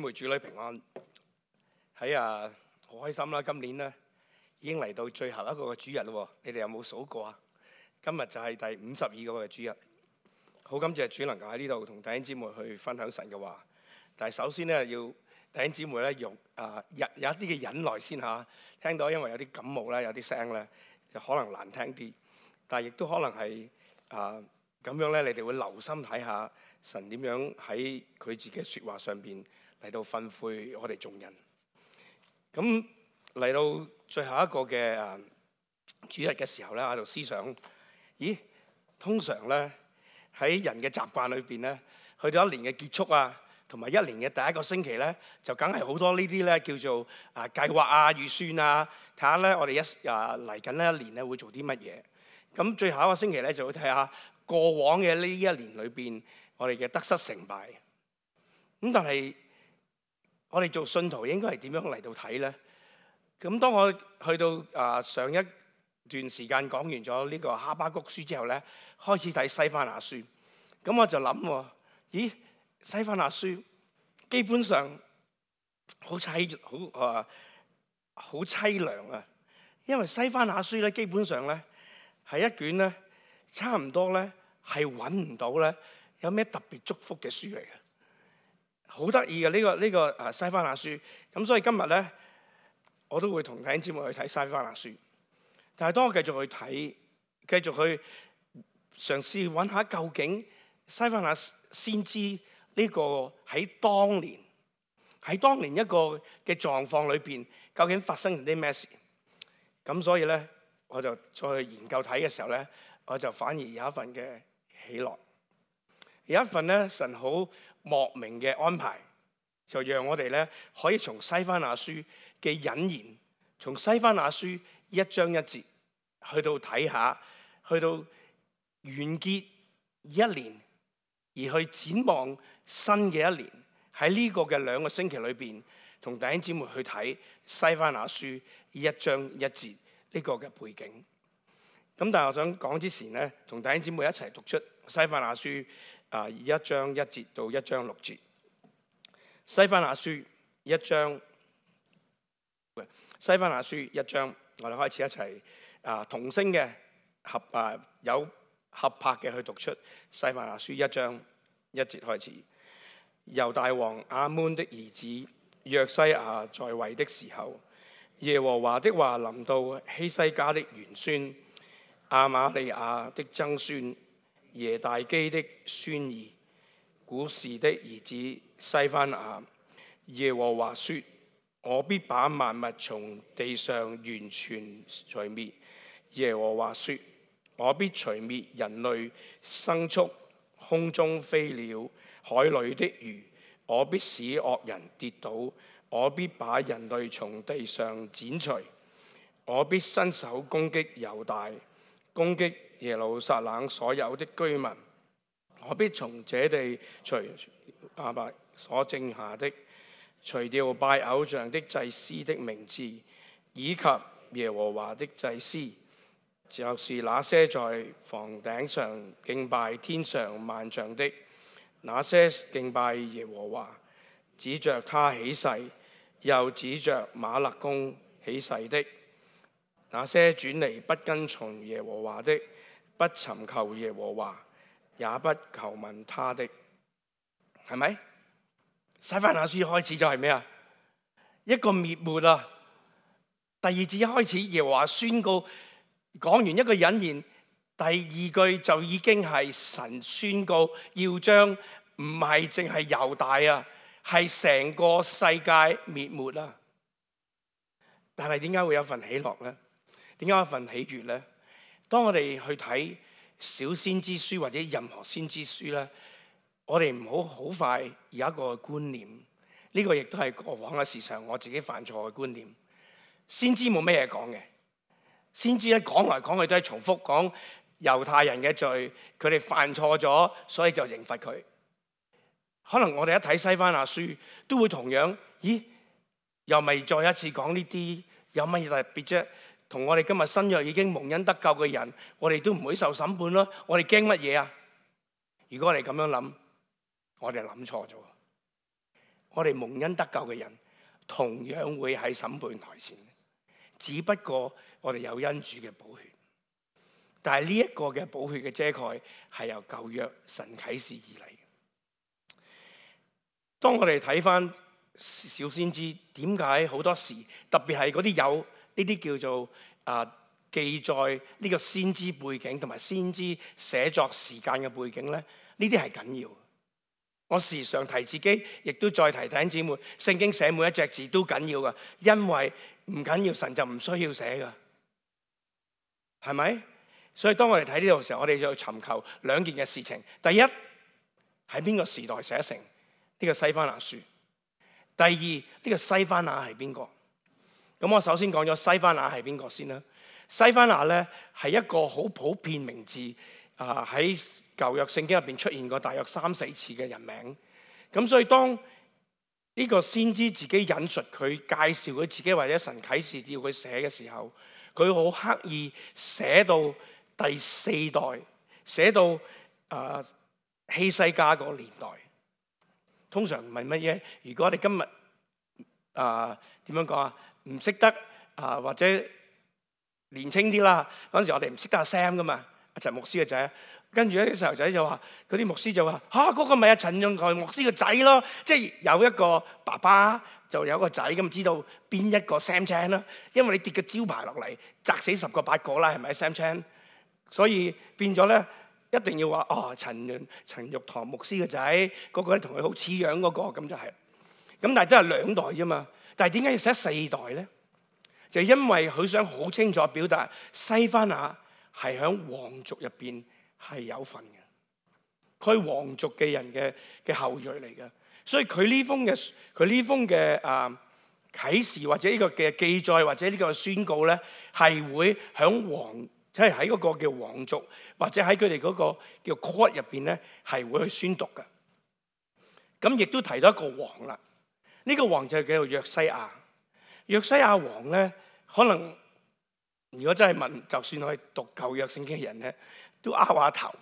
妹主女平安，好開心啦！今年咧已經嚟到最後一個嘅主日咯，你哋有冇數過啊？今日就係第52個嘅主日，好感謝主能夠喺呢度同弟兄姊妹去分享神嘅話。但係首先咧要弟兄姊妹咧有一啲嘅忍耐先嚇，聽到因為有啲感冒咧，有啲聲咧就可能難聽啲，但係亦都可能係咁樣咧，你哋會留心睇下神點樣喺佢自己嘅説話上邊嚟到吩咐我哋眾人。咁嚟到最後一個嘅主日嘅時候咧，喺度思想，通常咧喺人嘅習慣裏邊咧，去到一年嘅結束啊，同埋一年嘅第一個星期咧，就梗係好多呢啲咧叫做計劃啊、預算啊，睇下咧我哋嚟緊呢一年咧會做啲乜嘢。咁最後一個星期咧就會睇下過往嘅呢一年裏邊我哋嘅得失成敗。咁但係我哋做信徒應該係點樣嚟到睇咧？咁當我去到上一段時間講完咗呢個哈巴谷書之後咧，開始睇西番雅書。咁我就諗西番雅書基本上好凄涼啊！因為西番雅書咧基本上咧係一卷咧差唔多咧係揾唔到咧有咩特別祝福嘅書嚟嘅，好得意嘅呢個西番雅書。咁所以今日咧我都會同弟兄姊妹去睇西番雅書。但係當我繼續去睇，繼續去嘗試揾下究竟西番雅先知呢個喺當年一個嘅狀況裏邊，究竟發生咗啲咩事？咁所以咧，我就再去研究睇嘅時候咧，我就反而有一份嘅喜樂，有一份咧神好莫名嘅安排，就讓我哋咧可以從西番雅書嘅引言，從西番雅書一章一節去到睇下，去到完結一年，而去展望新嘅一年。喺呢個嘅2個星期裏邊，同弟兄姊妹去睇西番雅書一章一節呢個嘅背景。咁但係我想講之前咧，同弟兄姊妹一齊讀出西番雅書一章1節到1章6節。西番雅書一章，西番雅書一章，我哋開始一齊同聲嘅有合拍嘅去讀出西番雅書一章1節開始。猶大王亞捫的兒子約西亞在位的時候，耶和華的話臨到希西家的玄孫亞瑪利亞的曾孫耶大基的孫兒古示的兒子西番雅。耶和華說：我必把萬物從地上完全除滅。耶和華說：我必除滅人類、牲畜、空中飛鳥、海裏的魚。我必使惡人跌倒。我必把人類從地上剪除。我必伸手攻擊猶大，攻擊耶路撒冷所有的居民。我必從這地除亞伯所剩下的，除掉拜偶像的祭司的名字，以及耶和華的祭司，就是那些在房頂上敬拜天上萬象的，那些敬拜耶和華，指着他起誓，又指着瑪勒公起誓的，那些轉離不跟從耶和華的，不尋求耶和華，也不求問他的，係咪？西番雅書開始就係咩啊？一個滅沒啊！第2節一開始，耶和華宣告，講完一個引言，第2句就已經係神宣告要將唔係淨係猶大啊，係成個世界滅沒啊！但係點解會有份喜樂咧？點解有份喜悅咧？當我哋去睇小先知書或者任何先知書咧，我哋唔好好快有一個觀念，呢個亦都係過往嘅時常我自己犯錯嘅觀念。先知冇咩嘢講嘅，先知咧講來講去都係重複講猶太人嘅罪，佢哋犯錯咗，所以就刑罰佢。可能我哋一睇西番雅書，都會同樣，又咪再一次講呢啲，有乜嘢特別啫？同我哋今日新約已經蒙恩得救嘅人，我哋都唔會受審判咯。我哋驚乜嘢啊？如果我哋咁樣諗，我哋諗錯咗。我哋蒙恩得救嘅人同樣會喺審判台前，只不過我哋有恩主嘅寶血。但係呢一個嘅寶血嘅遮蓋係由舊約神啟示而嚟。當我哋睇翻小先知，點解好多時特別係嗰啲有呢啲叫做記載呢個先知背景同埋先知寫作時間嘅背景咧？呢啲係緊要。我時常提自己，亦都再提弟兄姊妹，聖經寫每一隻字都緊要噶，因為唔緊要神就唔需要寫噶，係咪？所以當我哋睇呢度嘅時候，我哋就要尋求兩件嘅事情。第一，喺邊個時代寫成呢個西番雅書？第二，呢個西番雅係邊個？咁我首先講咗西番雅係邊個先啦。西番雅咧係一個好普遍名字，喺舊約聖經入邊出現過大約3-4次嘅人名。咁所以當呢個先知自己引述佢介紹佢自己或者神啟示要佢寫嘅時候，佢好刻意寫到第4代，寫到希西家嗰個年代。通常唔係乜嘢？如果我哋今日點樣講啊？唔識得或者年青啲啦，嗰陣時我哋唔識得阿 Sam 噶嘛，阿陳牧師嘅仔。跟住咧啲細路仔就話，嗰啲牧師就話嗰個咪阿陳永台牧師嘅仔咯。即係有一個爸爸就有一個仔，咁知道邊一個 Sam Chan 啦。因為你跌個招牌落嚟，砸死10個8個啦，係咪 Sam Chan？所以變咗咧，一定要話陳玉堂牧師嘅仔，嗰個咧同佢好似樣嗰個，咁就係。咁但係都係2代啫嘛。但係點解要寫4代咧？就因為佢想好清楚表達西番雅係喺皇族入邊係有份嘅，佢係皇族嘅人嘅後裔嚟嘅，所以佢呢封嘅啟示或者呢個嘅記載或者呢個宣告咧，係會喺即係喺嗰個叫皇族或者喺佢哋嗰個叫 court 入邊咧，係會去宣讀嘅。咁亦都提到一個王啦，呢個王就叫做約西亞。約西亞王咧，可能如果真係問，就算我係讀舊約聖經嘅人咧，都拗下頭，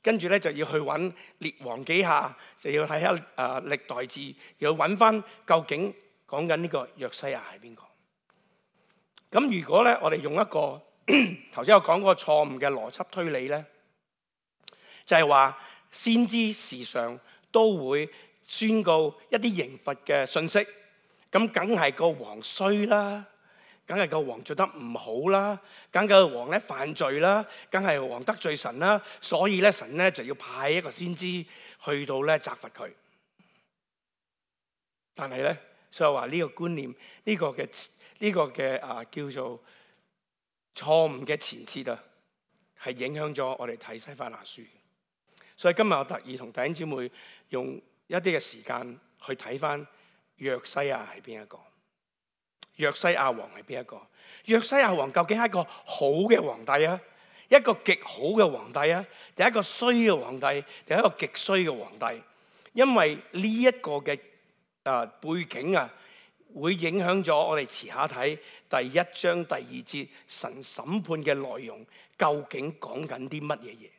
跟住咧就要去揾列王紀下，就要睇下歷代志，要揾翻究竟講緊呢個約西亞係邊個。咁如果咧我哋用一個頭先我講嗰個錯誤嘅邏輯推理咧，就係話先知時常都會宣告一啲刑罰嘅信息。咁梗係個王衰啦，梗係個王做得唔好啦，梗係個王咧犯罪啦，梗係王得罪神啦，所以咧神咧就要派一個先知去到咧責罰佢。但係咧，所以話呢個觀念，呢個嘅叫做錯誤嘅前設啊，係影響咗我哋睇西番雅書。所以今日我特意同弟兄姊妹用一啲嘅時間去睇翻。約西亞係邊一個？約西亞王係邊一個？約西亞王究竟係一個好嘅皇帝啊，一個極好嘅皇帝啊，定係一個衰嘅皇帝，定係一個極衰嘅皇帝？因為呢一個嘅背景啊，會影響咗我哋遲下睇第1章第2節神審判嘅內容，究竟講緊啲乜嘢嘢？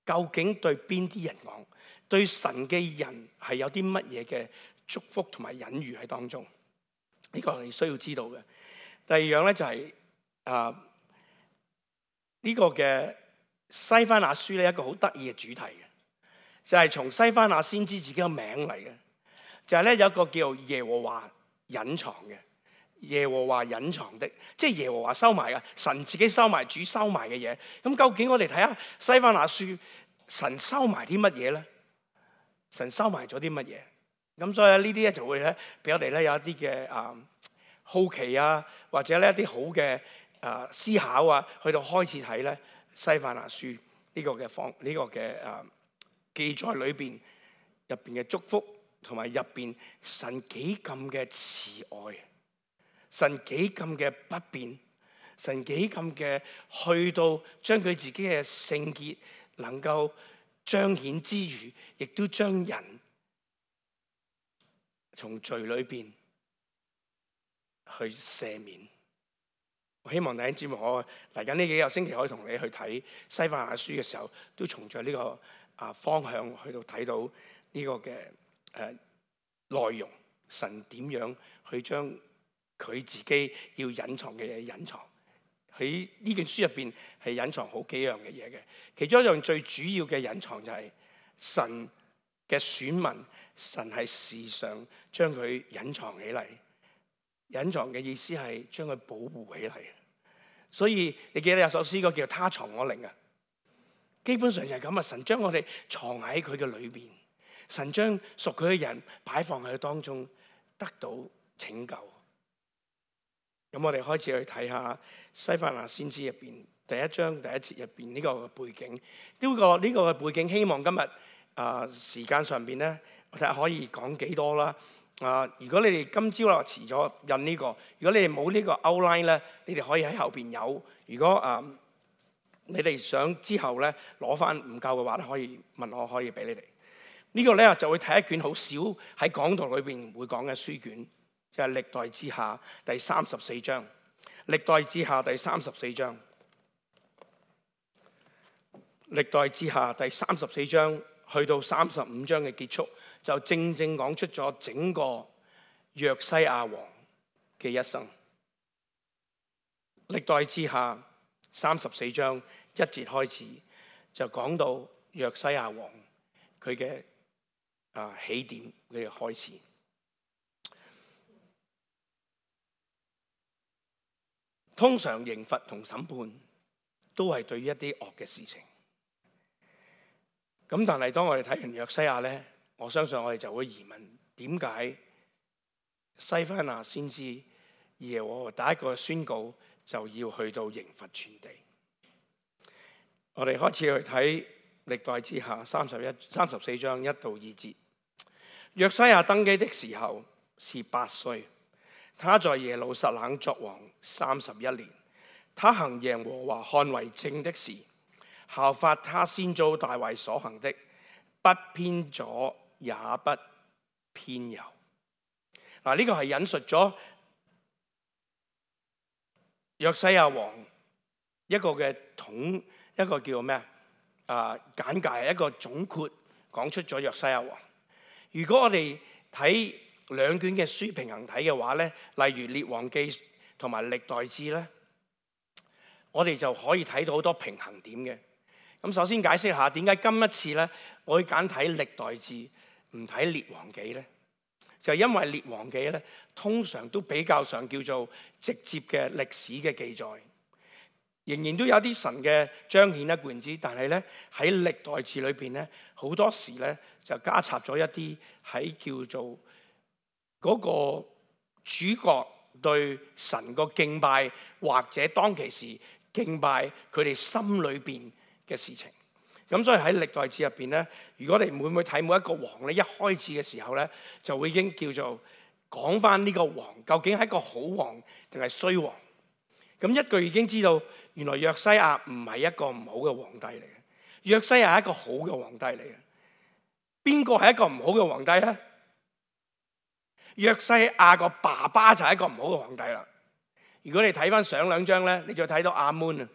究竟對邊啲人講？對神嘅人係有啲乜嘢嘅祝福同埋隱喻喺當中，呢個係需要知道嘅。第二樣咧就係呢個嘅西番雅書咧，一個好得意嘅主題嘅，就係從西番雅先知自己個名嚟嘅，就係咧有一個叫耶和華隱藏嘅，耶和華隱藏的，即係耶和華收埋嘅，神自己收埋，主收埋嘅嘢。咁究竟我哋睇下西番雅書，神收埋啲乜嘢咧？神收埋咗啲乜嘢？咁所以呢啲咧就會咧俾我哋咧有一啲嘅好奇啊，或者咧一啲好嘅思考啊，去到開始睇咧西番雅書呢個嘅記載裏邊入邊嘅祝福，同埋入邊神幾咁嘅慈愛，神幾咁嘅不變，神幾咁嘅去到將佢自己嘅聖潔能夠彰顯之餘，亦都將人從罪裏邊去赦免。我希望弟兄姊妹，我嚟緊呢幾個星期可以同你去睇西番雅書嘅時候，都從著呢個方向去到睇到呢個嘅內容，神點樣去將佢自己要隱藏嘅嘢隱藏。喺呢卷書入邊係隱藏好幾樣嘅嘢嘅，其中一樣最主要嘅隱藏就係神嘅選民，神係時常將佢隱藏起嚟。隱藏嘅意思係將佢保護起嚟。所以你記得有首詩歌叫他藏我靈啊，基本上就係咁啊！神將我哋藏喺佢嘅裏邊，神將屬佢嘅人擺放喺佢當中，得到拯救。咁我哋開始去睇下西番雅先知入邊第一章第一節入邊呢個背景。呢個嘅背景，希望今日時間上邊咧，我睇下可以講幾多啦。如果你哋今朝啦遲咗印呢個，如果你哋冇呢個 outline 咧，你哋可以喺後邊有。如果你哋想之後咧攞翻唔夠嘅話咧，可以問我，可以俾你哋。呢個咧就會睇一卷好少喺講道裏邊會講嘅書卷，就係歷代志下第34章。歷代志下第34章，歷代志下第34章去到35章嘅結束，就正正講出咗整個約西亞王嘅一生。歷代志下34章1節開始就講到約西亞王佢嘅起點，佢嘅開始。通常刑罰同審判都係對於一啲惡嘅事情。咁但係當我哋睇完約西亞咧，我相信我哋就會疑問：點解西番雅先知耶和華第一個宣告就要去到刑罰全地？我哋開始去睇歷代志下34章1到2節。約西亞登基的時候是8歲，他在耶路撒冷作王31年。他行耶和華看為正的事，效法他先祖大衛所行的，不偏左也不偏右。呢個係引述咗約西亞王一個嘅一個叫咩簡介，一個總括講出咗約西亞王。如果我哋睇兩卷嘅書平衡睇嘅話咧，例如列王記同埋歷代志咧，我哋就可以睇到好多平衡點嘅。咁首先解釋下點解今一次咧，我會揀睇歷代志唔睇列王記咧，就係因為列王記咧通常都比較上叫做直接嘅歷史嘅記載，仍然都有啲神嘅彰顯一貫之，但係咧喺歷代志裏邊咧，好多時咧就加插咗一啲喺叫做嗰個主角對神個敬拜，或者當其時敬拜佢哋心裏邊嘅事情。咁所以喺歷代志入邊咧，如果你會唔會睇每一個王咧，一開始嘅時候咧，就會已經叫做講翻呢個王究竟係一個好王定係衰王。咁一句已經知道，原來約西亞唔係一個唔好嘅皇帝嚟嘅，約西亞係一個好嘅皇帝嚟嘅。邊個係一個唔好嘅皇帝咧？約西亞個爸爸就係一個唔好嘅皇帝啦。如果你睇翻上兩章咧，你就睇到亞捫啊，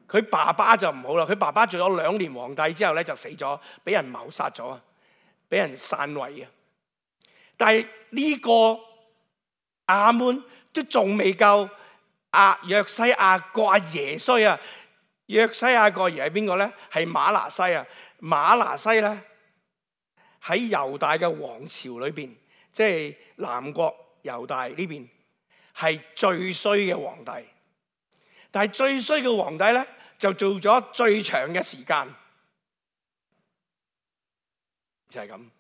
佢爸爸就唔好啦。佢爸爸做咗2年皇帝之後咧就死咗，俾人謀殺咗啊，俾人篡位啊。但係呢個亞捫都仲未夠約西亞個阿爺衰啊！約西亞個阿爺係邊個咧？係瑪拿西啊！瑪拿西咧喺猶大嘅王朝裏邊，即係南國猶大呢邊係最衰嘅皇帝。但係最衰嘅皇帝咧就做咗最長嘅時間，就係咁。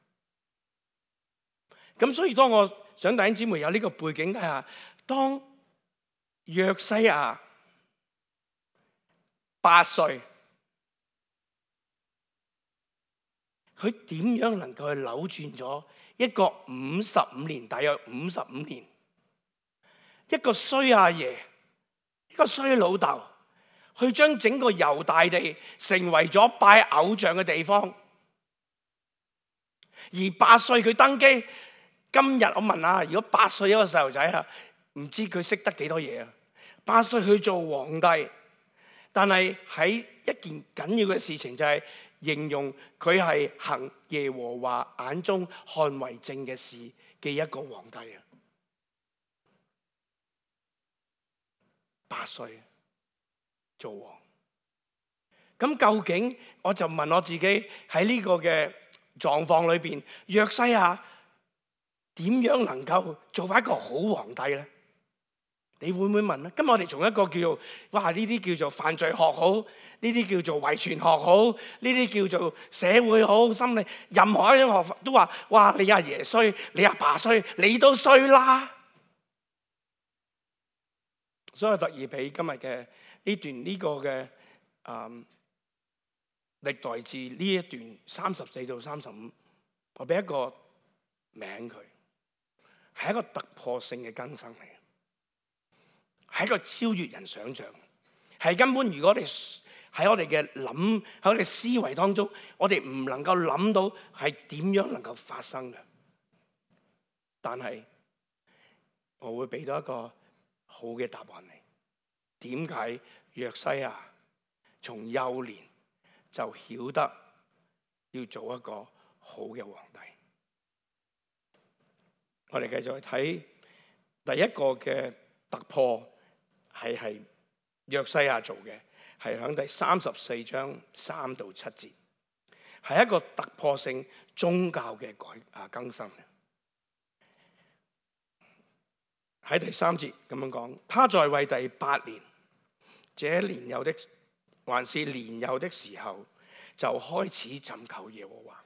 咁所以當我想弟兄姊妹有呢個背景底下，當約西亞8歲，佢點樣能夠去扭轉咗一個55年，大約55年，一個衰阿爺，一個衰老豆，去將整個猶大地成為咗拜偶像嘅地方。而8歲佢登基，今日我問下，如果8歲一個細路仔啊，唔知佢識得幾多嘢啊？8歲去做皇帝，但係喺一件緊要嘅事情就係形容佢係行耶和華眼中看為正嘅事嘅一個皇帝啊，8歲做王。咁究竟我就問我自己喺呢個嘅狀況裏邊，約西亞點樣能夠做翻一個好皇帝咧？你會唔會問咧？今日我哋從一個叫做哇呢啲叫做犯罪學好，呢啲叫做遺傳學好，呢啲叫做社會好心理，任何一種學法都話哇你阿爺衰，你阿爸衰，你都衰啦。所以我特意俾今日嘅呢段呢個嘅歷代志呢一段34到35，我俾一個名佢，係一個突破性嘅更新嚟嘅，係一個超越人想象，係根本如果我哋喺我哋嘅諗喺我哋思維當中，我哋唔能夠諗到係點樣能夠發生嘅。但係我會俾到一個好嘅答案你，點解約西亞從幼年就曉得要做一個好嘅皇帝？我哋繼續去睇第一個嘅突破，係約西亞做嘅，係喺第34章3到7節，係一個突破性宗教嘅更新。喺第3節咁樣講，他在位第8年，這年幼的還是年幼的時候，就開始尋求耶和華。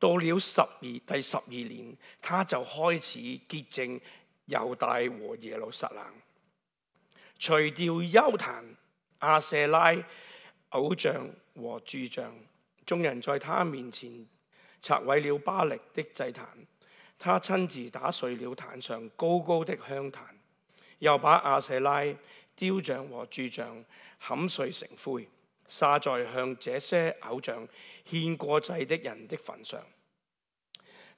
到了第12年，他就開始潔淨猶大和耶路撒冷，除掉邱壇、亞舍拉、偶像和柱像。眾人在他面前拆毀了巴力的祭壇，他親自打碎了壇上高高的香壇，又把亞舍拉、雕像和柱像砍碎成灰，撒在向這些偶像獻過祭的人的墳上。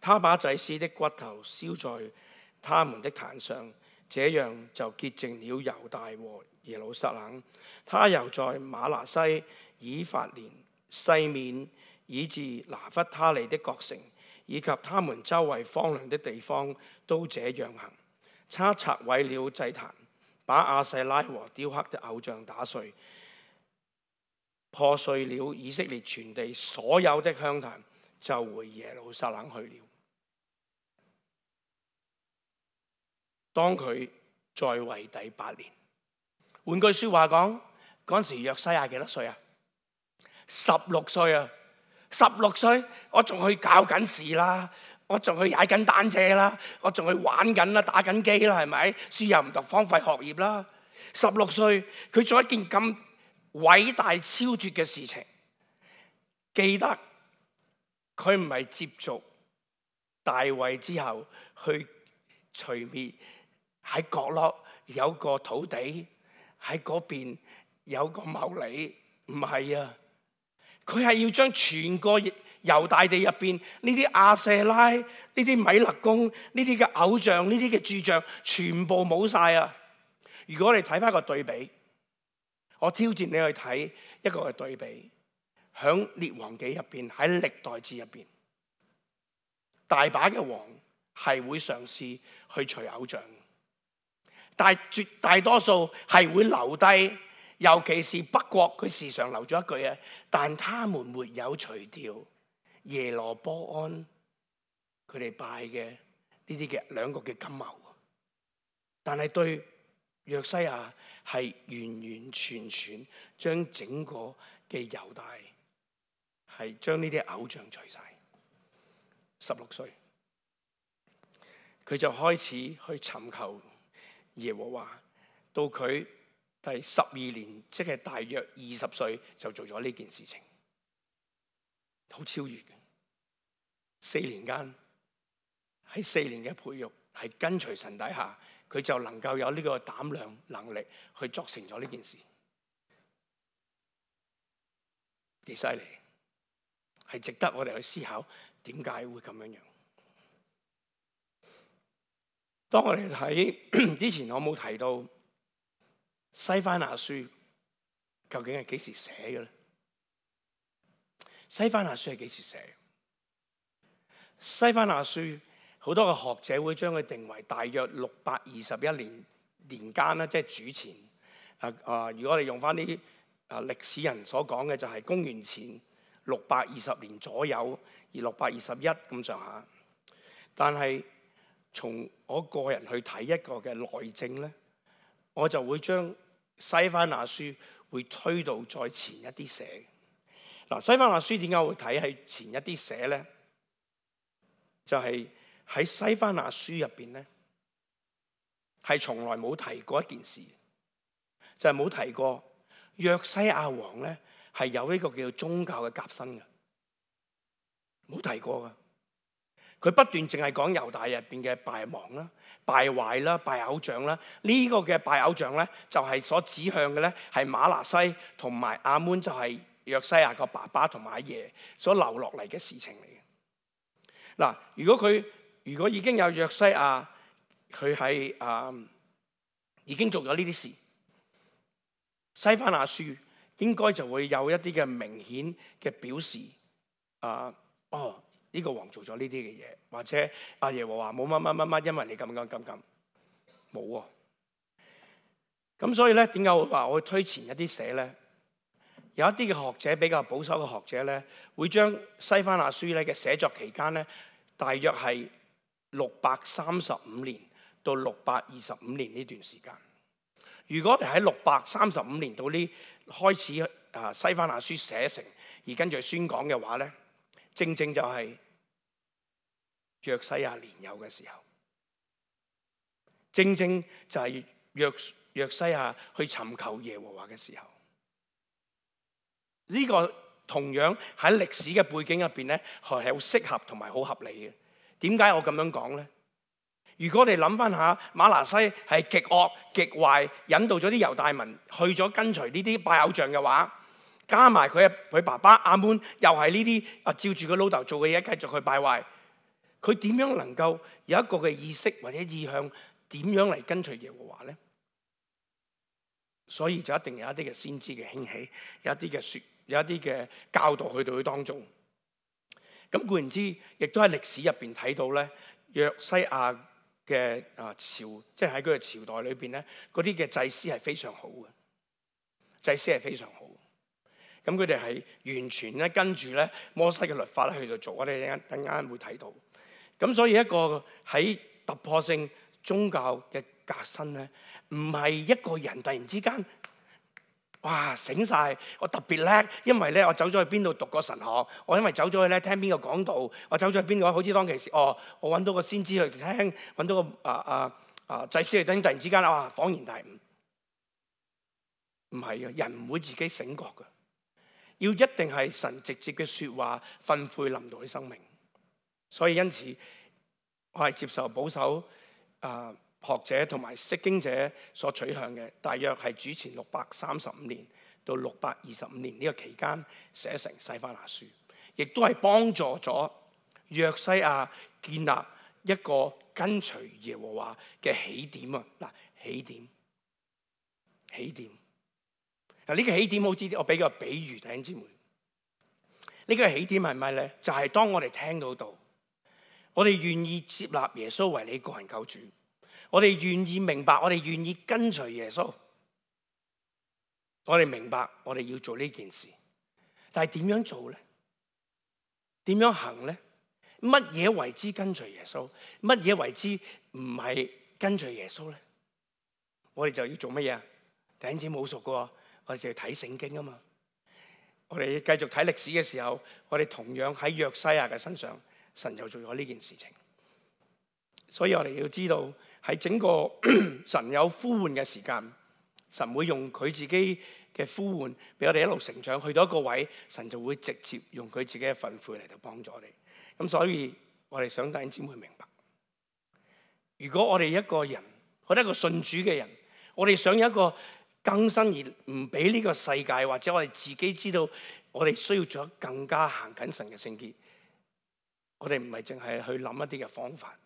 他把祭司的骨頭燒在他們的壇上，這樣就潔淨了猶大和耶路撒冷。他又在瑪拿西、以法蓮、西面以至拿弗他利的各城，以及他們周圍荒涼的地方，都這樣行。他拆毀了祭壇，把亞舍拉和雕刻的偶像打碎，破碎了以色列全地所有的香壇，就回耶路撒冷去了。當佢在位第8年，換句說話講，嗰陣時約西亞幾多歲啊？16歲啊！16歲，我仲去教緊試啦，我仲去踩緊單車啦，我仲去玩緊啦，打緊機啦，係咪？書又唔讀，荒廢學業啦。16歲，佢做一件咁偉大超脫嘅事情，記得佢唔係接續大衛之後去除滅。喺角落有個土地，喺嗰邊有個牟利，唔係啊！佢係要將全個猶大地入邊呢啲亞舍拉、呢啲米勒公、呢啲嘅偶像、呢啲嘅柱像，全部冇晒啊！如果我哋睇翻個對比，我挑戰你去睇一個嘅對比，響列王紀入邊，喺歷代志入邊，大把嘅王係會嘗試去除偶像。但係絕大多數係會留低，尤其是北國，佢時常留咗一句啊，但他們沒有除掉耶羅波安佢哋拜嘅呢啲嘅兩個嘅金牛。但係對約西亞係完完全全將整個嘅猶大係將呢啲偶像除晒。16歲佢就開始去尋求耶和華，到佢第12年，即係大約20歲就做咗呢件事情，好超越嘅。4年間，喺4年嘅培育，係跟隨神底下，佢就能夠有呢個膽量能力去作成咗呢件事，幾犀利，係值得我哋去思考點解會咁樣樣。當我哋睇之前，我冇提到西番雅書究竟係幾時寫嘅咧？西番雅書係幾時寫？西番雅書好多嘅學者會將佢定為大約621年間啦，即係主前。如果我哋用翻啲歷史人所講嘅，就係公元前620年左右，而621咁上下。但係從我個人去睇一個嘅內證咧，我就會將西番雅書會推到再前一啲寫。嗱，西番雅書點解會睇喺前一啲寫咧？就係喺西番雅書入邊咧，係從來冇提過一件事，就係冇提過約西亞王咧係有呢個叫做宗教嘅革新嘅，冇提過噶。佢不斷淨係講猶大入邊嘅敗亡啦、敗壞啦、拜偶像啦。呢個嘅拜偶像咧，就係所指向嘅咧係瑪拿西同埋亞捫，就係約西亞個爸爸同埋阿爺所留落嚟嘅事情嚟嘅。嗱，如果已經有約西亞，佢係已經做咗呢啲事，西番雅書應該就會有一啲嘅明顯嘅表示。呢個王做咗呢啲嘅嘢，或者阿耶和華冇乜，因為你咁冇喎。咁所以咧，點解我話我會推前一啲寫咧？有一啲嘅學者比較保守嘅學者咧，會將西番雅書咧嘅寫作期間咧，大約係635年到625年呢段時間。如果我哋喺635年到呢開始西番雅書寫成，而跟住宣講嘅話咧，正正就係約西亞年幼嘅時候，正正就係約西亞去尋求耶和華嘅時候。呢個同樣喺歷史嘅背景入邊咧，係好適合同埋好合理嘅。點解我咁樣講咧？如果我哋諗翻下瑪拿西係極惡極壞，引導咗啲猶大民去咗跟隨呢啲拜偶像嘅話，加埋佢爸爸亞捫又係呢啲照住佢老豆做嘅嘢繼續去敗壞，佢點樣能夠有一個嘅意識或者意向點樣嚟跟隨耶和華咧？所以就一定有一啲嘅先知嘅興起，有一啲嘅教導去到佢當中。咁固然之，亦都喺歷史入邊睇到咧，約西亞嘅朝，即係喺佢嘅朝代裏邊咧，嗰啲嘅祭司係非常好嘅，祭司係非常好。咁佢哋係完全咧跟住咧摩西嘅律法咧去到做，我哋等間會睇到。咁所以一個喺突破性宗教嘅革新咧，唔係一個人突然之間，哇醒晒，我特別叻，因為咧我走咗去邊度讀過神學，我因為走咗去咧聽邊個講道，我走咗去邊個，好似當其時，我揾到個先知去聽，揾到個祭司去聽，突然之間恍然大悟。唔係嘅，人唔會自己醒覺嘅，要一定係神直接嘅說話訓誨臨到佢生命。所以因此，我係接受保守學者同埋釋經者所取向嘅，大約係主前635年到625年呢個期間寫成西番雅書，亦都係幫助咗約西亞建立一個跟隨耶和華嘅起點啊！嗱，起點嗱，呢個起點好似我俾個比喻弟兄姊妹，呢個起點係咪咧？就係當我哋聽到我哋願意接納耶穌為你個人救主，我哋願意明白，我哋願意跟隨耶穌，我哋明白我哋要做呢件事，但係點樣做咧？點樣行咧？乜嘢為之跟隨耶穌？乜嘢為之唔係跟隨耶穌咧？我哋就要做乜嘢啊？弟兄姊妹好熟噶，我哋就要睇聖經啊嘛。我哋繼續睇歷史嘅時候，我哋同樣喺約西亞嘅身上，神就做咗呢件事情。所以我哋要知道，喺整個神有呼喚嘅時間，神會用佢自己嘅呼喚，俾我哋一路成長，去到一個位，神就會直接用佢自己嘅訓誨嚟到幫助我哋。咁所以我哋想弟兄姊妹明白，如果我哋一個人，我哋一個信主嘅人，我哋想有一個更新而唔俾呢個世界，或者我哋自己知道，我哋需要做更加行緊神嘅聖潔。我哋唔係淨係去諗一啲嘅方法，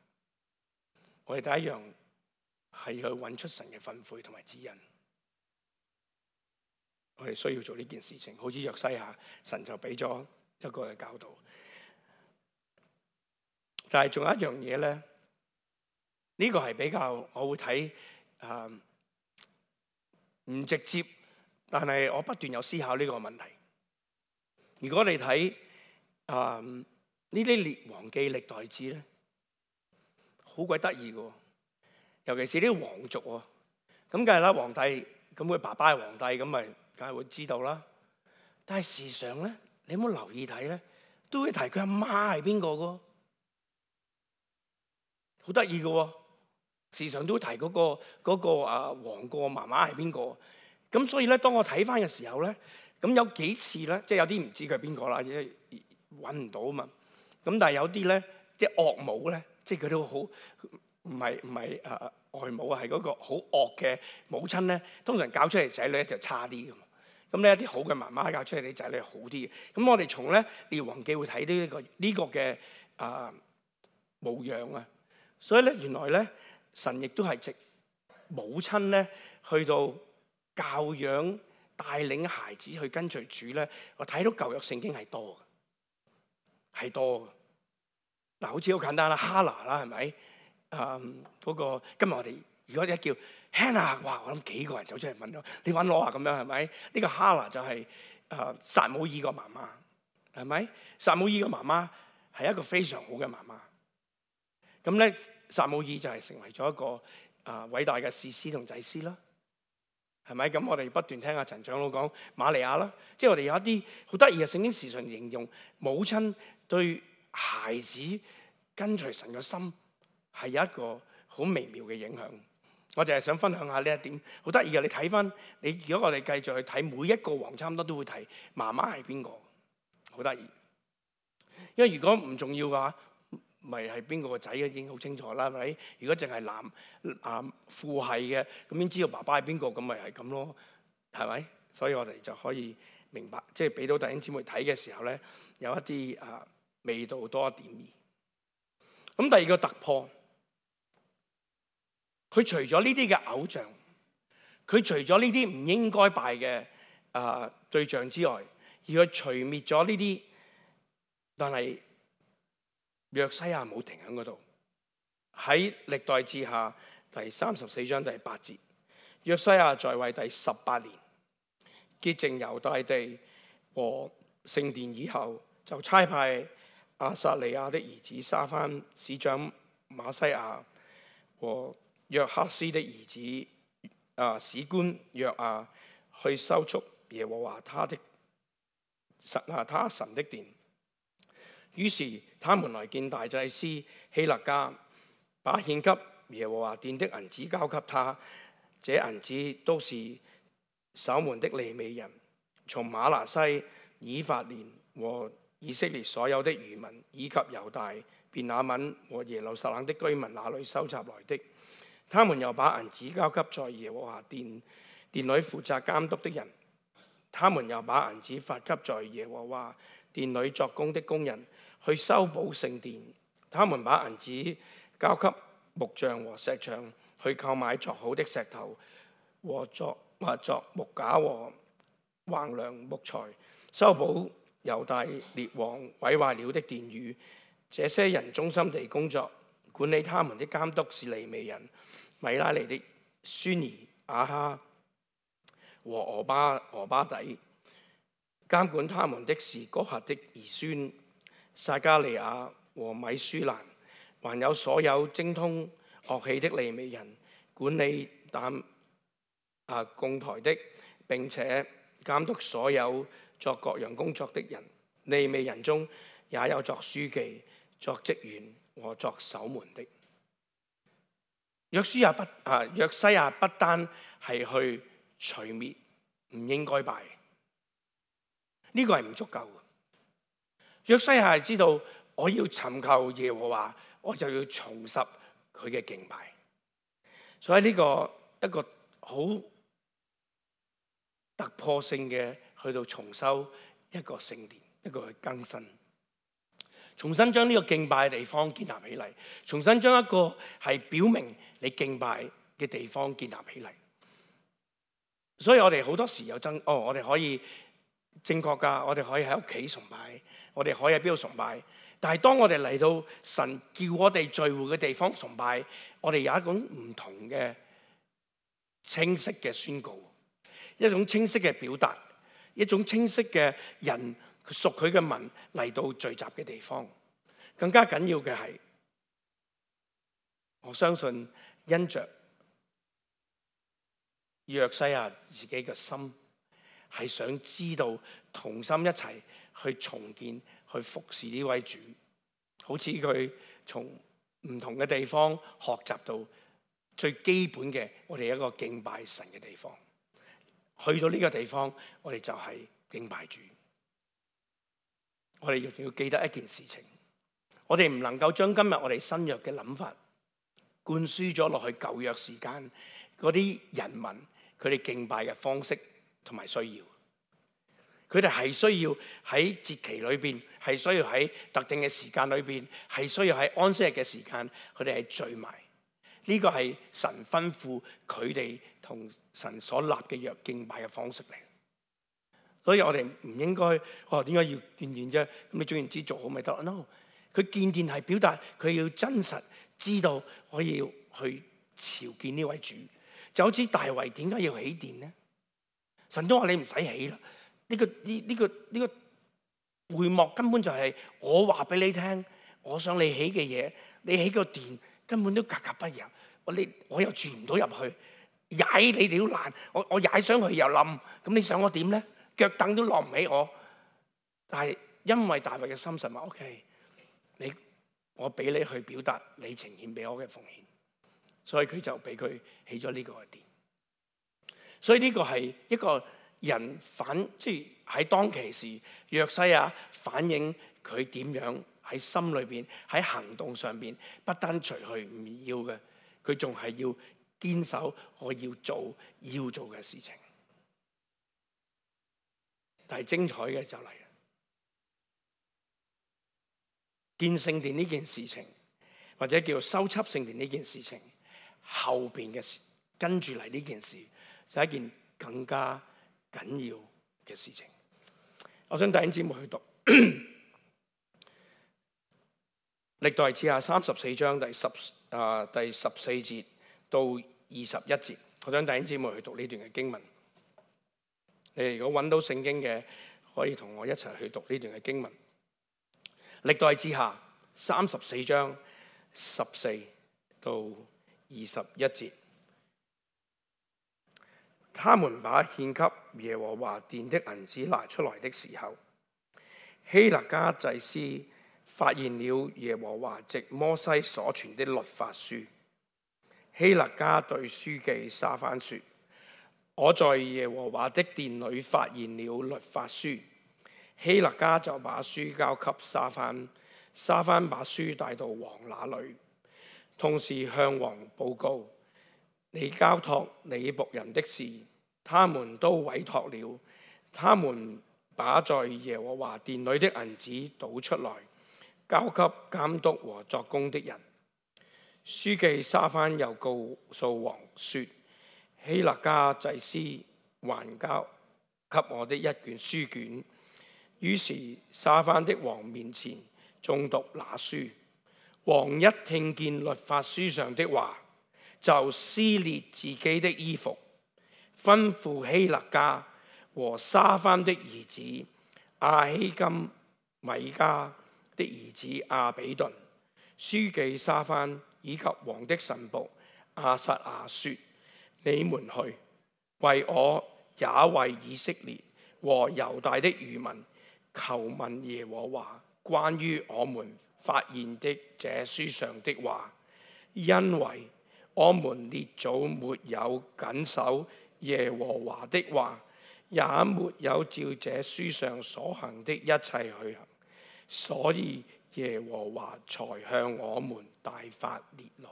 我哋第一樣係去揾出神嘅訓誨同埋指引。我哋需要做呢件事情，好似約西亞，神就俾咗一個嘅教導。但係仲有一樣嘢咧，呢個係比較我會睇唔直接，但係我不斷有思考呢個問題。如果你睇呢啲列王記歷代志咧，好鬼得意嘅，尤其是啲皇族喎。咁梗係啦，皇帝咁佢爸爸係皇帝，咁咪梗係會知道啦。但係事實上咧，你有冇留意睇咧？都會提佢阿媽係邊個嘅，好得意嘅。事實上都會提嗰個王個媽媽係邊個。咁所以咧，當我睇翻嘅時候咧，咁有幾次咧，即係有啲唔知佢係邊個啦，因為揾唔到啊嘛。咁但係有啲咧，即係岳母咧，即係佢都好唔係外母啊，係嗰個好惡嘅母親咧。通常教出嚟仔女咧就差啲嘅嘛。咁呢一啲好嘅媽媽教出嚟啲仔女係好啲嘅。咁我哋從咧列王記會睇到呢個嘅模樣啊。所以咧，原來咧神亦都係藉母親咧去到教養帶領孩子去跟隨主咧。我睇到舊約聖經係多嘅，係多嘅。嗱，好似好簡單啦，哈拿啦，係咪？嗰個今日我哋如果一叫 Hannah， 哇！我諗幾個人走出嚟問我，你揾我啊？咁樣係咪？呢個哈拿就係撒母耳個媽媽，係咪？撒母耳個媽媽係一個非常好嘅媽媽。咁咧，撒母耳就係成為咗一個偉大嘅士師同祭司啦，係咪？咁我哋不斷聽阿陳長老講瑪利亞啦，即係我哋有一啲好得意嘅聖經時常形容母親對孩子跟隨神嘅心係有一個好微妙嘅影響。我就係想分享下呢一點，好得意嘅。你睇翻你，如果我哋繼續去睇每一個王，差唔多都會提媽媽係邊個，好得意。因為如果唔重要嘅話，咪係邊個個仔已經好清楚啦，係咪？如果淨係男父系嘅，咁已經知道爸爸係邊個，咁咪係咁咯，係咪？所以我哋就可以明白，即係俾到弟兄姊妹睇嘅時候咧，有一啲味道多一點兒。咁第二個突破，佢除咗呢啲嘅偶像，佢除咗呢啲唔應該拜嘅對象之外，而佢除滅咗呢啲，但係約西亞冇停喺嗰度。喺歷代志下第34章第8節，約西亞在位第18年，潔淨猶大地和聖殿以後，就差派亞撒利亞的兒子沙番、使長馬西亞和約哈斯的兒子史官約亞去修築耶和華他神的殿。於是他們來見大祭司希勒家，把獻給耶和華殿的銀子交給他。這銀子都是守門的利未人，從瑪拿西、以法蓮和以色列所有的餘民，以及猶大、便雅憫和耶路撒冷的居民那裏收集來的。他們又把銀子交給在耶和華殿裏負責監督的人。他們又把銀子發給在耶和華殿裏作工的工人，去修補聖殿。他們把銀子交給木匠和石匠，去購買作好的石頭和作木架和橫梁木材，修補猶大列王毀壞了的殿宇。這些人忠心地工作，管理他們的監督是利未人米拉利的孫兒亞哈和俄巴底，監管他們的是哥轄的兒孫撒加利亞和米舒蘭，還有所有精通樂器的利未人，管理供台的，並且監督所有作各樣工作的人。利未人中也有作書記、作職員和作守門的。約西亞不單係去除滅唔應該拜，呢個係唔足夠嘅。約西亞係知道我要尋求耶和華，我就要重拾佢嘅敬拜。所以呢個一個好突破性嘅去到重修一個聖殿，一個去更新，重新將呢個敬拜嘅地方建立起嚟，重新將一個係表明你敬拜嘅地方建立起嚟。所以我哋好多時有我哋可以正確㗎，我哋可以喺屋企崇拜，我哋可以喺邊度崇拜？但係當我哋嚟到神叫我哋聚會嘅地方崇拜，我哋有一種唔同嘅清晰嘅宣告，一種清晰嘅表達，一種清晰嘅人屬佢嘅民嚟到聚集嘅地方。更加緊要嘅係，我相信因着約西亞自己嘅心係想知道同心一齊去重建、去服侍呢位主，好似佢從唔同嘅地方學習到最基本嘅我哋一個敬拜神嘅地方。去到呢個地方，我哋就係敬拜主。我哋亦要記得一件事情，我哋唔能夠將今日我哋新約嘅諗法灌輸咗落去舊約時間嗰啲人民佢哋敬拜嘅方式同埋需要。佢哋係需要喺節期裏邊，係需要喺特定嘅時間裏邊，係需要喺安息日嘅時間，佢哋係聚埋。呢個係神吩咐佢哋同神所立嘅約敬拜嘅方式嚟。所以我哋唔應該點解要見見啫？咁你總言之做好咪得 ？No， 佢見見係表達佢要真實知道我要去朝見呢位主。就好似大衛點解要起殿呢？神都話你唔使起啦。呢個會幕根本就係我話俾你聽，我想你起嘅嘢，你起個殿根本都格格不入。我又住唔到入去，踩你哋都難，我踩上去又冧，咁你想我點咧？腳凳都落唔起我。但係因為大衛嘅心神話 OK， 我俾你去表達你呈獻俾我嘅奉獻，所以佢就俾佢起咗呢個殿。所以呢個係一個人即係喺當其時，約西亞反映佢點樣喺心裏邊、喺行動上邊，不單除去唔要嘅，佢仲係要堅守我要做嘅事情。但係精彩嘅就嚟啦，建聖殿呢件事情，或者叫修葺聖殿呢件事情，後邊嘅事跟住嚟呢件事，就係一件更加緊要嘅事情。我想弟兄姊妹去讀歷代志下34章第14節到21節。我想弟兄姊妹去讀呢段嘅經文。你哋如果揾到聖經嘅，可以同我一齊去讀呢段嘅經文。歷代志下34章14到21節。他們把獻給耶和華殿的銀子拿出來的時候，希勒家祭司發現了耶和華藉摩西所傳的律法書。希勒家對書記沙番說：我在耶和華的殿裏發現了律法書。希勒家就把書交給沙番，沙番把書帶到王那裏，同時向王報告你交託你僕人的事，他們都委託了。他們把在耶和華殿裏的銀子倒出來，交給監督和作工的人。書記沙番又告訴王說：希勒家祭司還交給我的一卷書卷。於是沙番的王面前誦讀那書。王一聽見律法書上的話，就撕裂自己的衣服，吩咐希勒家和沙番的兒子亞希金、米迦的兒子亞比頓、書記沙番以及王的臣僕亞撒亞說：你們去，為我也為以色列和猶大的餘民求問耶和華關於我們發現的這書上的話，因為我們列祖沒有謹守耶和華的話，也沒有照這書上所行的一切去行，所以耶和華才向我們大發烈怒。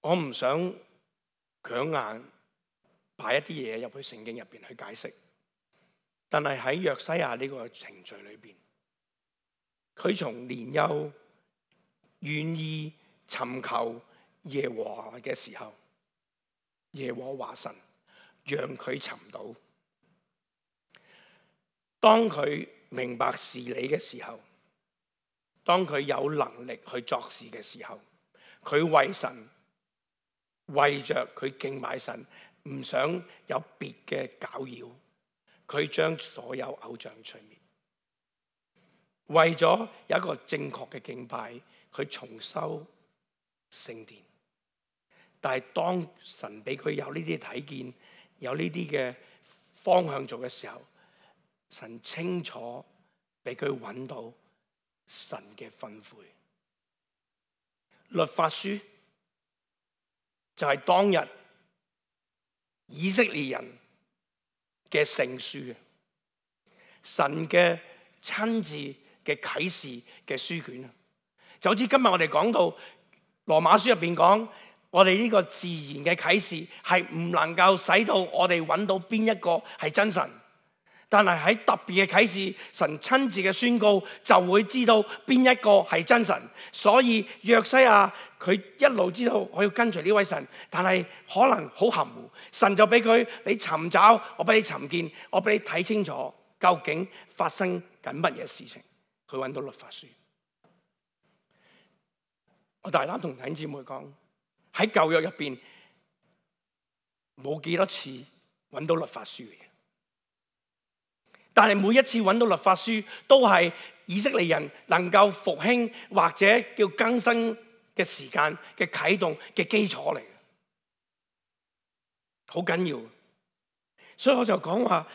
我唔想強硬擺一啲嘢入去聖經入邊去解釋，但係喺約西亞呢個程序裏邊，佢從年幼願意尋求耶和華嘅時候，耶和華神讓佢尋到，當佢明白事理嘅時候，當佢有能力去作事嘅時候，佢為神，為着佢敬拜神，唔想有別嘅攪擾，佢將所有偶像除滅，為咗有一個正確嘅敬拜，佢重修聖殿。但係當神俾佢有呢啲睇見，有呢啲嘅方向做嘅時候，神清楚俾佢揾到神嘅吩咐。律法書就係當日以色列人嘅聖書，神嘅親自嘅啟示嘅書卷。就好似今日我哋講到羅馬書入邊講，我哋呢個自然嘅啟示係唔能夠使到我哋揾到邊一個係真神，但係喺特別嘅啟示，神親自嘅宣告就會知道邊一個係真神。所以約西亞佢一路知道我要跟隨呢位神，但係可能好含糊，神就俾佢，你尋找，我俾你尋見，我俾你睇清楚究竟發生緊乜嘢事情。佢揾到律法書。我大膽同弟兄姊妹講，喺舊約入邊冇幾多次揾到律法書嘅，但係每一次揾到律法書都係以色列人能夠復興或者叫更新嘅時間嘅啟動嘅基礎嚟嘅，好緊要。所以我就講話，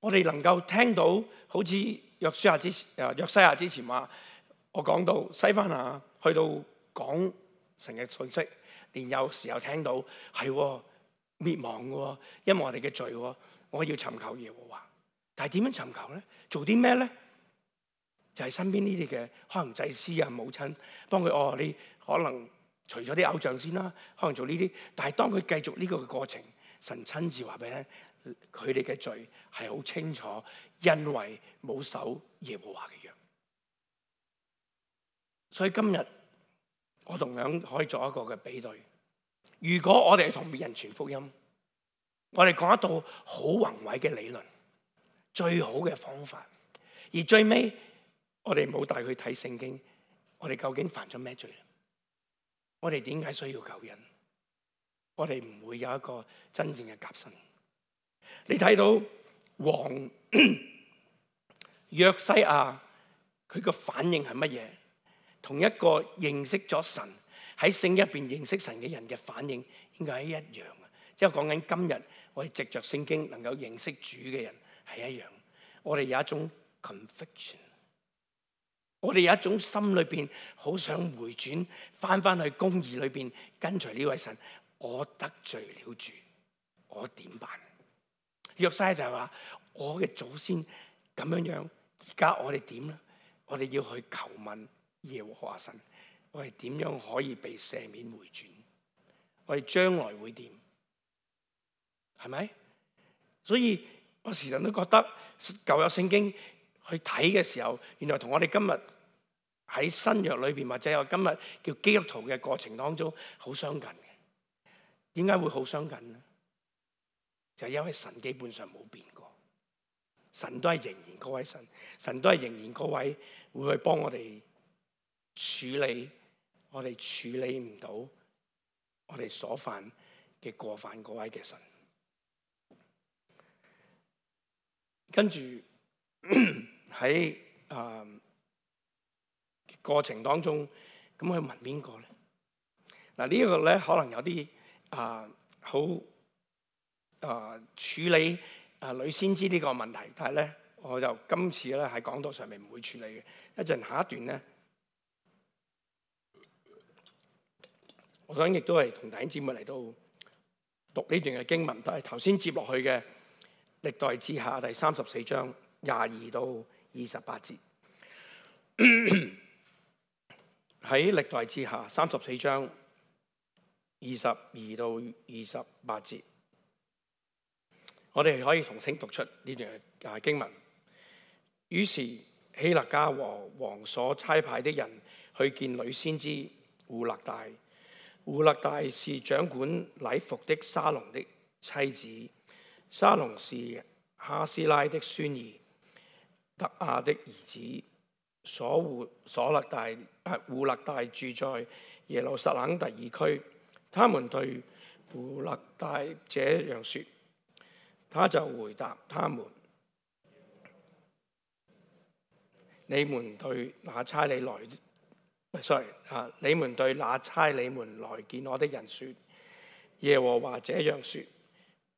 我哋能夠聽到好似約西亞之前話，我講到西番雅去到講神嘅信息，連有時候聽到係滅亡嘅，因為我哋嘅罪，我要尋求耶和華。但係點樣尋求咧？做啲咩咧？就係身邊呢啲嘅可能祭司啊、母親幫佢你可能除咗啲偶像先啦，可能做呢啲。但係當佢繼續呢個過程，神親自話俾你聽，佢哋嘅罪係好清楚，因為冇守耶和華嘅約。所以今日我同樣可以做一個嘅比對。如果我哋同別人傳福音，我哋講一道好宏偉嘅理論，最好嘅方法，而最尾我哋冇帶佢睇聖經，我哋究竟犯咗咩罪？我哋點解需要救恩？我哋唔會有一個真正嘅革新。你睇到王約西亞佢個反應係乜嘢？同一個認識咗神喺聖經入邊認識神嘅人嘅反應應該係一樣嘅。即係講緊今日我哋藉着聖經能夠認識主嘅人係一樣。我哋有一種 conviction， 我哋有一種心裏邊好想回轉，翻去公義裏邊跟隨呢位神。我得罪了主，我點辦？約西亞就係話我嘅祖先咁樣，而家我哋點咧？我哋要去求問耶和華神，我哋點樣可以被赦免回轉？我哋將來會點？係咪？所以我時常都覺得舊約聖經去睇嘅時候，原來同我哋今日喺新約裏邊或者我今日叫基督徒嘅過程當中好相近嘅。點解會好相近呢？就係因為神基本上冇變過，神都係仍然嗰位神，神都係仍然嗰位會去幫我哋處理我哋處理唔到我哋所犯嘅過犯嗰位嘅神。跟住喺過程當中，咁去問邊個咧？嗱，呢一個咧可能有啲好處理女先知呢個問題，但係咧我就今次咧喺講道上面唔會處理嘅。一陣下一段咧，我想亦都係同弟兄姊妹嚟到讀呢段嘅經文，都係頭先接落去嘅歷代志下第34章22到28節。喺歷代志下34章22到28節，我哋可以同聲讀出呢段嘅經文。於是希勒家和王所差派的人去見女先知戶勒大。戶勒大是掌管禮服的沙龍的妻子，沙龍是哈斯拉的孫兒特亞的兒子戶勒大住在耶路撒冷第二區。他們對戶勒大這樣說，他就回答他們：你們對那差你們來見我的人說，耶和華這樣說，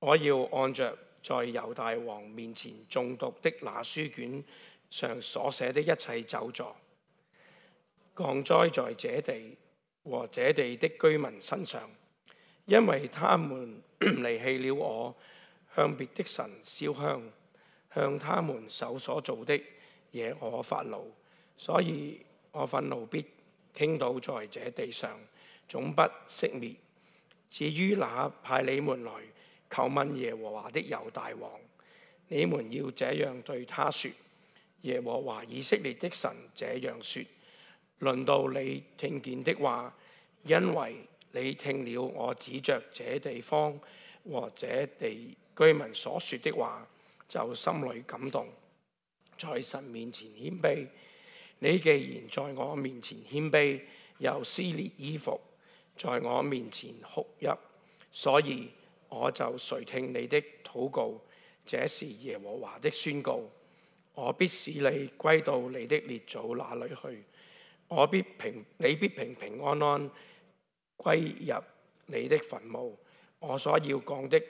我要按着在猶大王面前誦讀的那書卷上所寫的一切咒詛，降災在這地和這地的居民身上，因為他們離棄了我，向別的神燒香，向他們手所造的惹我發怒，所以我憤怒必傾倒在這地上，總不熄滅。至於那派你們來求問耶和華的猶大王，你們要這樣對他說：耶和華以色列的神這樣說，論到你聽見的話，因為你聽了我指着這地方和這地居民所說的話，就心裏感動，在神面前謙卑。你既然在我面前謙卑，又撕裂衣服，在我面前哭泣，所以我就垂聽你的禱告。這是耶和華的宣告。我必使你歸到你的列祖那裏去，你必平平安安歸入你的墳墓。我所要降的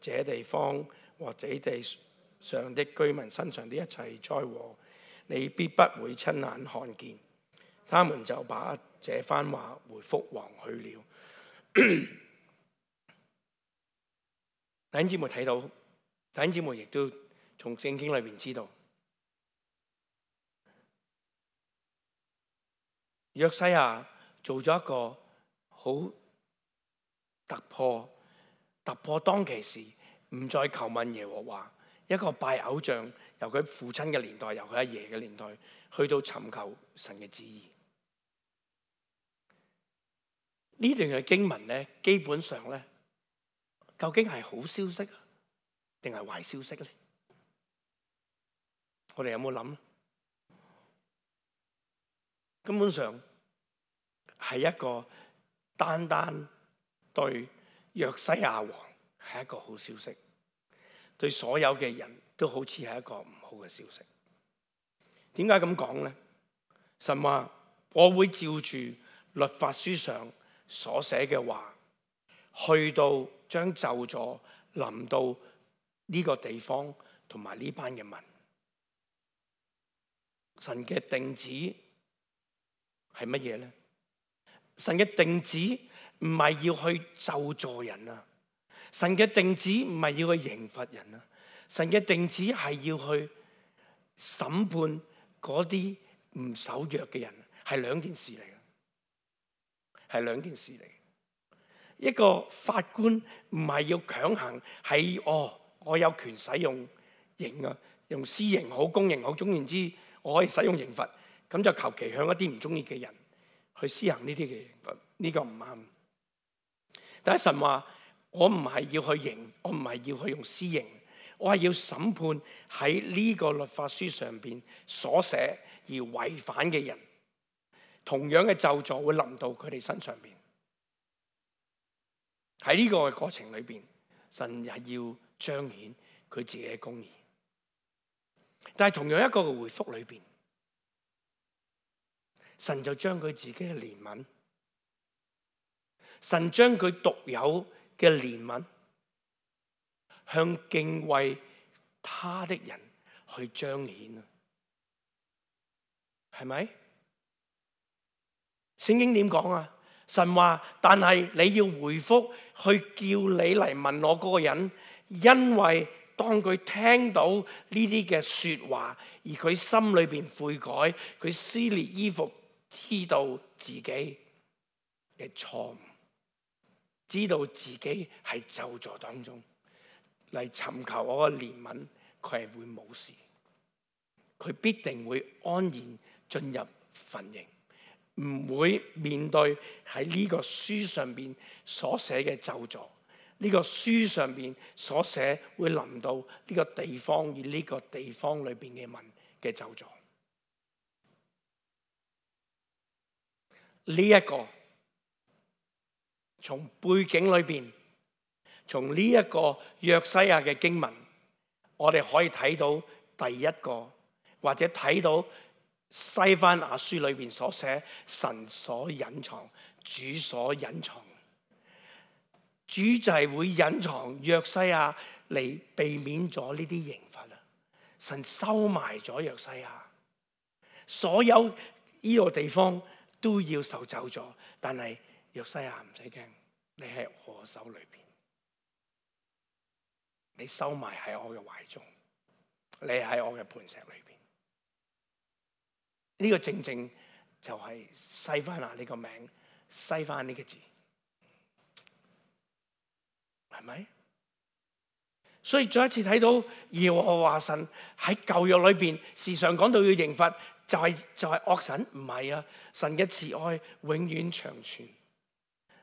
這地方和這地上的居民身上的一切災禍，你必不會親眼看見。他們就把這番話回覆王去了。弟兄姊妹睇到，弟兄姊妹亦都從聖經裏面知道，約西亞做咗一個好突破當其時唔再求問耶和華，一個拜偶像，由佢父親嘅年代，由佢阿爺嘅年代，去到尋求神嘅旨意。呢段嘅經文咧，基本上咧，究竟係好消息定係壞消息咧？我哋有冇諗咧？根本上係一個單單對約西亞王係一個好消息，對所有嘅人都好似係一個唔好嘅消息。點解咁講咧？神話我會照住律法書上所寫嘅話，去到將咒詛臨到呢個地方同埋呢班嘅民。神嘅定旨係乜嘢咧？神嘅定旨唔係要去咒詛人啊，神嘅定旨唔係要去刑罰人啊，神嘅定旨係要去審判嗰啲唔守約嘅人，係兩件事嚟嘅，係兩件事嚟。一個法官唔係要強行喺我有權使用刑啊，用私刑好公刑好，總言之我可以使用刑罰，咁就求其向一啲唔中意嘅人去施行呢啲嘅刑罰，呢個唔啱。但係神話我唔係要去刑，我唔係要去用私刑，我係要審判喺呢個律法書上邊所寫而違反嘅人，同樣嘅咒詛會臨到佢哋身上邊。喺呢個嘅過程裏邊，神係要彰顯佢自己嘅公義。但係同樣一個嘅回覆裏邊，神就將佢自己嘅憐憫，神將佢獨有嘅憐憫向敬畏他的人去彰顯啊，係咪？聖經點講啊？神話，但係你要回覆去叫你嚟問我嗰個人，因為當佢聽到呢啲嘅說話，而佢心裏邊悔改，佢撕裂衣服，知道自己嘅錯誤，知道自己係咒詛當中嚟尋求我嘅憐憫，佢係會冇事，佢必定會安然進入墳塋，唔會面對喺呢個書上邊所寫嘅咒詛，呢個書上邊所寫會臨到呢個地方，而呢個地方裏邊嘅民嘅咒詛。呢一個從背景裏邊，從呢一個約西亞嘅經文，我哋可以睇到第一個，或者睇到西番雅書裏邊所寫神所隱藏、主所隱藏。主就係會隱藏約西亞嚟避免咗呢啲刑罰啦。神收埋咗約西亞，所有呢個地方都要受咒詛，但係約西亞唔使驚，你喺我手裏邊，你收埋喺我嘅懷中，你喺我嘅磐石裏邊。呢個正正就係西番雅呢個名，西番呢個字。係咪？所以再一次睇到耶和華神喺舊約裏邊時常講到要刑罰，就係惡神，唔係啊！神嘅慈愛永遠長存，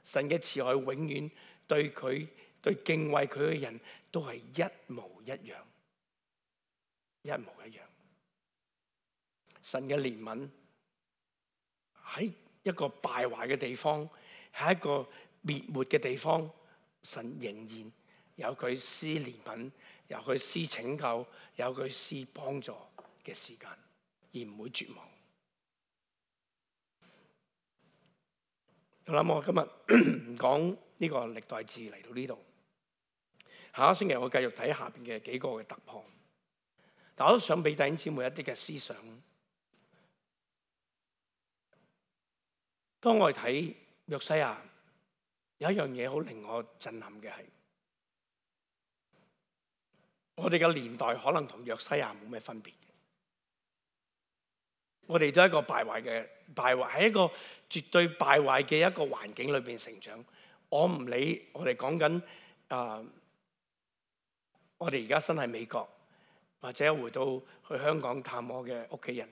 神嘅慈愛永遠對敬畏佢嘅人都係一模一樣，一模一樣。神嘅憐憫喺一個敗壞嘅地方，喺一個滅沒嘅地方。神仍然有佢施憐憫，有佢施拯救，有佢施幫助嘅時間，而唔會絕望。我諗我今日唔講呢個歷代志嚟到呢度，下一星期我繼續睇下邊嘅幾個嘅突破。但我都想俾弟兄姊妹一啲嘅思想。當我哋睇約西亞，有一樣嘢好令我震撼嘅係，我哋嘅年代可能同約西亞冇咩分別。我哋都係一個敗壞喺一個絕對敗壞嘅一個環境裏邊成長。我唔理我哋講緊我哋而家身喺美國，或者回到去香港探我嘅屋企人，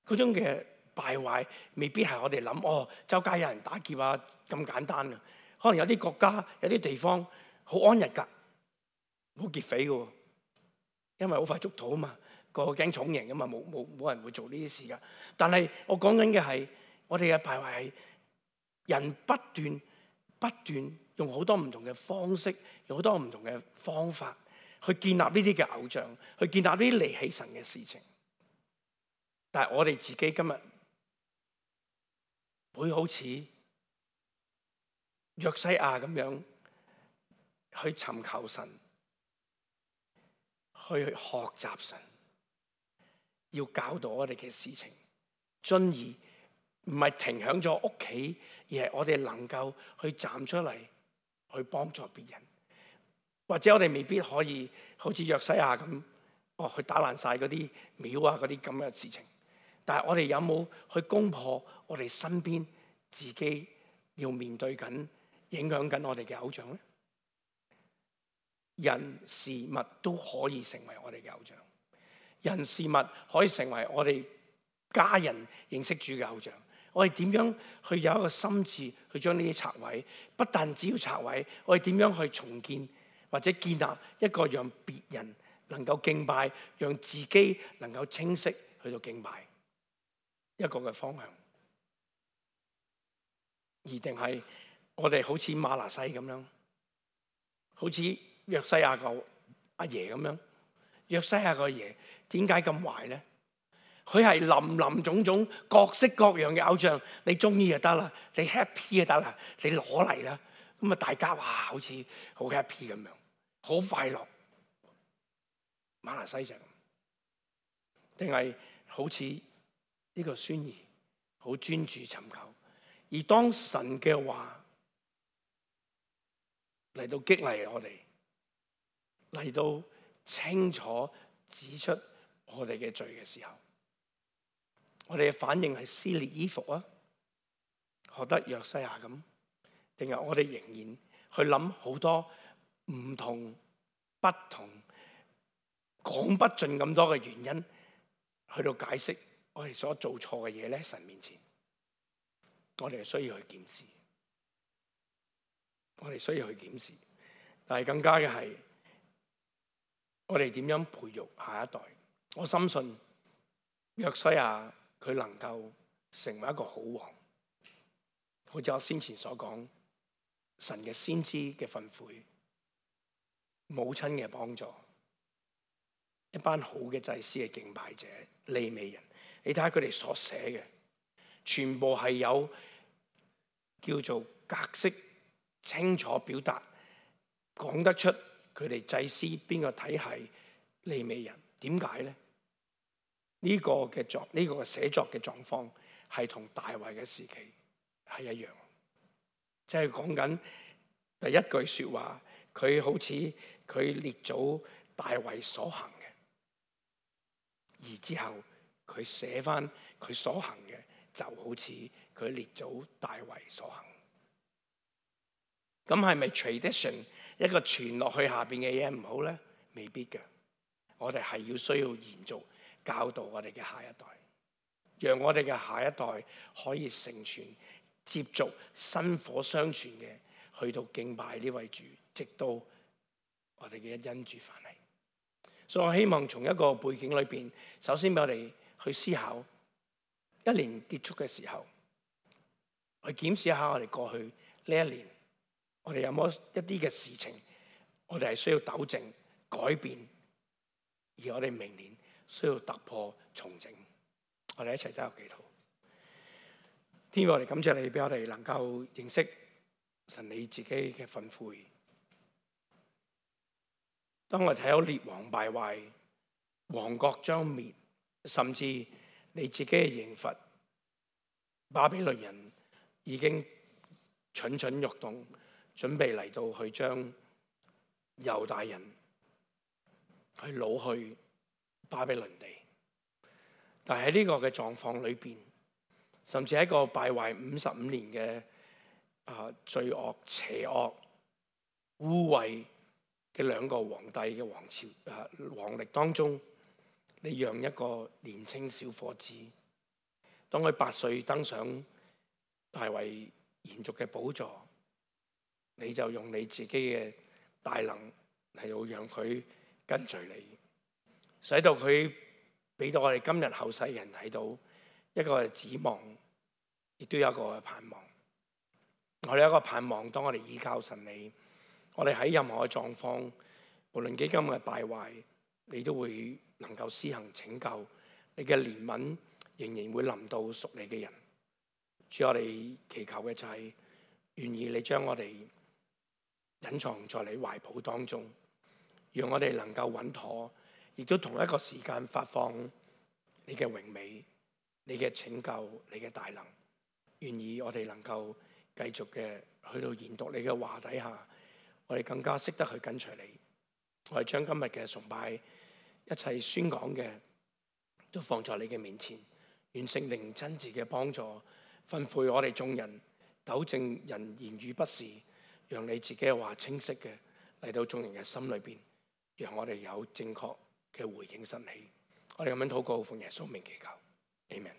嗰種嘅敗壞未必係我哋諗周街有人打劫啊咁簡單啊。可能有啲國家有啲地方好安逸㗎，冇劫匪㗎，因為好快捉到啊嘛，個驚重刑啊嘛，冇人會做呢啲事㗎。但係我講緊嘅係我哋嘅敗壞係人不斷用好多唔同嘅方式，用好多唔同嘅方法去建立呢啲嘅偶像，去建立呢啲離棄神嘅事情。但係我哋自己今日會好似約西亞咁樣去尋求神，去學習神，要教導我哋嘅事情，進而唔係停響咗屋企，而係我哋能夠去站出嚟去幫助別人。或者我哋未必可以好似約西亞咁，去打爛晒嗰啲廟啊嗰啲咁嘅事情。但係我哋有冇去攻破我哋身邊自己要面對緊、影響緊我哋嘅偶像咧？人事物都可以成為我哋嘅偶像，人事物可以成為我哋家人認識主嘅偶像。我哋點樣去有一個心志去將呢啲拆毀？不但只要拆毀，我哋點樣去重建或者建立一個讓別人能夠敬拜，讓自己能夠清晰去到敬拜一個嘅方向？而定係我哋好似瑪拿西咁樣，好似約西亞個阿爺咁樣？約西亞個爺點解咁壞咧？佢係林林種種各式各樣嘅偶像，你中意就得啦，你 happy 就得啦，你攞嚟啦，咁啊大家哇好似好 happy 咁樣，好快樂。瑪拿西就咁，定係好似呢個孫兒好專注尋求，而當神嘅話嚟到激勵我哋，嚟到清楚指出我哋嘅罪嘅時候，我哋嘅反應係撕裂衣服啊，學得約西亞咁，定係我哋仍然去諗好多唔同、不同、講不盡咁多嘅原因，去到解釋我哋所做錯嘅嘢咧？神面前，我哋係需要去檢視。我哋需要去檢視。但係更加嘅係，我哋點樣培育下一代？我深信約書亞佢能夠成為一個好王，好似我先前所講，神嘅先知嘅訓誨，母親嘅幫助，一班好嘅祭司嘅敬拜者、利未人，你睇下佢哋所寫嘅，全部係有叫做格式清楚表達，講得出佢哋祭司邊個體系利未人。點解咧？呢個嘅寫作嘅狀況係同大衛嘅時期係一樣，即係講緊第一句說話，佢好似佢列祖大衛所行嘅，而之後佢寫翻佢所行嘅，就好似佢列祖大衛所行。咁係咪 tradition 一個傳落去下邊嘅嘢唔好咧？未必嘅。我哋係要需要延續教導我哋嘅下一代，讓我哋嘅下一代可以承傳、接續薪火相傳嘅，去到敬拜呢位主，直到我哋嘅恩主返嚟。所以我希望從一個背景裏邊，首先俾我哋去思考，一年結束嘅時候，去檢視一下我哋過去呢一年，我哋有冇一啲嘅事情，我哋係需要糾正、改變。而我哋明年需要突破重整，我哋一齊走入祈禱。天父，我哋感謝你，俾我哋能夠認識神你自己嘅訓誨。當我哋睇到列王敗壞、王國將滅，甚至你自己嘅刑罰，巴比倫人已經蠢蠢欲動，準備嚟到去將猶大人去擄去巴比倫地，但係喺呢個嘅狀況裏邊，甚至喺一個敗壞55年嘅罪惡、邪惡、污穢嘅兩個皇帝嘅王朝皇歷當中，你讓一個年輕小伙子，當佢8歲登上大衛延續嘅寶座，你就用你自己嘅大能嚟到讓佢跟隨你，使到佢俾到我哋今日後世人睇到一個指望，亦都有一個盼望。我哋有一個盼望，當我哋依靠神你，我哋喺任何嘅狀況，無論幾咁嘅敗壞，你都會能夠施行拯救，你嘅憐憫仍然會臨到屬你嘅人。主，我哋祈求嘅就係願意你將我哋隱藏在你懷抱當中，讓我哋能夠穩妥，亦都同一個時間發放你嘅榮美、你嘅拯救、你嘅大能。願意我哋能夠繼續嘅去到研讀你嘅話底下，我哋更加識得去跟隨你。我哋將今日嘅崇拜一切宣講嘅都放在你嘅面前，願聖靈親自嘅幫助，吩咐我哋眾人，糾正人言語不是，讓你自己嘅話清晰嘅嚟到眾人嘅心裏邊，讓我哋有正確嘅回應神起。我哋咁樣禱告，奉耶穌名祈求，阿們。